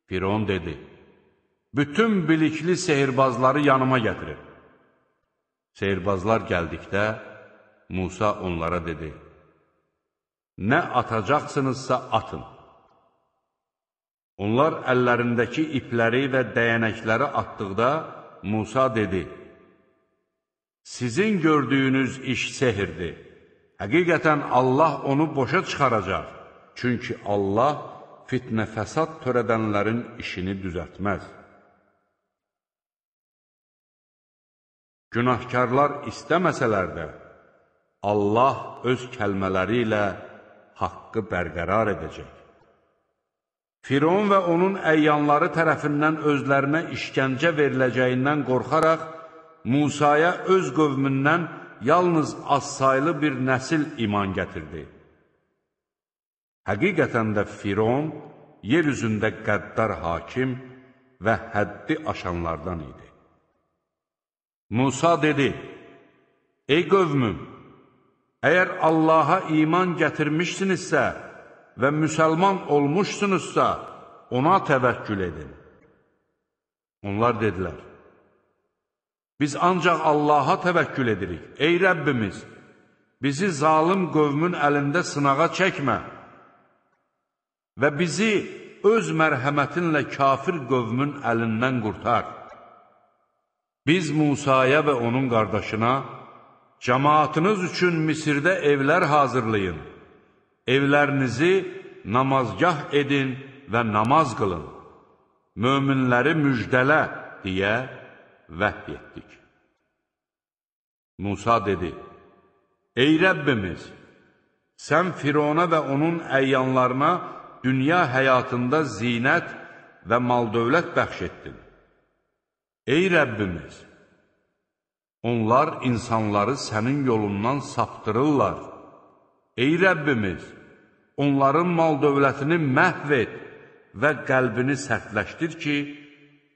Firon dedi, bütün bilikli sehirbazları yanıma gətirin. Sehirbazlar gəldikdə, Musa onlara dedi, nə atacaqsınızsa atın. Onlar əllərindəki ipləri və dəyənəkləri atdıqda, Musa dedi, sizin gördüyünüz iş sehirdir. Həqiqətən Allah onu boşa çıxaracaq. Çünki Allah fitnə fəsad törədənlərin işini düzəltməz. Günahkarlar istəməsələr də, Allah öz kəlmələri ilə haqqı bərqərar edəcək. Firon və onun əyyanları tərəfindən özlərinə işgəncə veriləcəyindən qorxaraq, Musaya öz qövmündən yalnız azsaylı bir nəsil iman gətirdi. Həqiqətən də Firon yer üzündə qəddar hakim və həddi aşanlardan idi. Musa dedi, ey qövmüm, əgər Allaha iman gətirmişsinizsə və müsəlman olmuşsunuzsa, ona təvəkkül edin. Onlar dedilər, biz ancaq Allaha təvəkkül edirik. Ey Rəbbimiz, bizi zalım qövmün əlində sınağa çəkmə və bizi öz mərhəmətinlə kafir qövmün əlindən qurtar. Biz Musaya və onun qardaşına, cəmaatınız üçün Misirdə evlər hazırlayın, evlərinizi namazgah edin və namaz qılın, möminləri müjdələ deyə vəhy etdik. Musa dedi, ey Rəbbimiz, sən Firona və onun əyyanlarına dünya həyatında zinət və mal-dövlət bəxş etdin. Ey Rəbbimiz, onlar insanları sənin yolundan saptırırlar. Ey Rəbbimiz, onların mal-dövlətini məhv et və qəlbini sərtləşdir ki,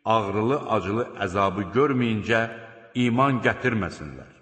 ağrılı-acılı əzabı görməyincə iman gətirməsinlər.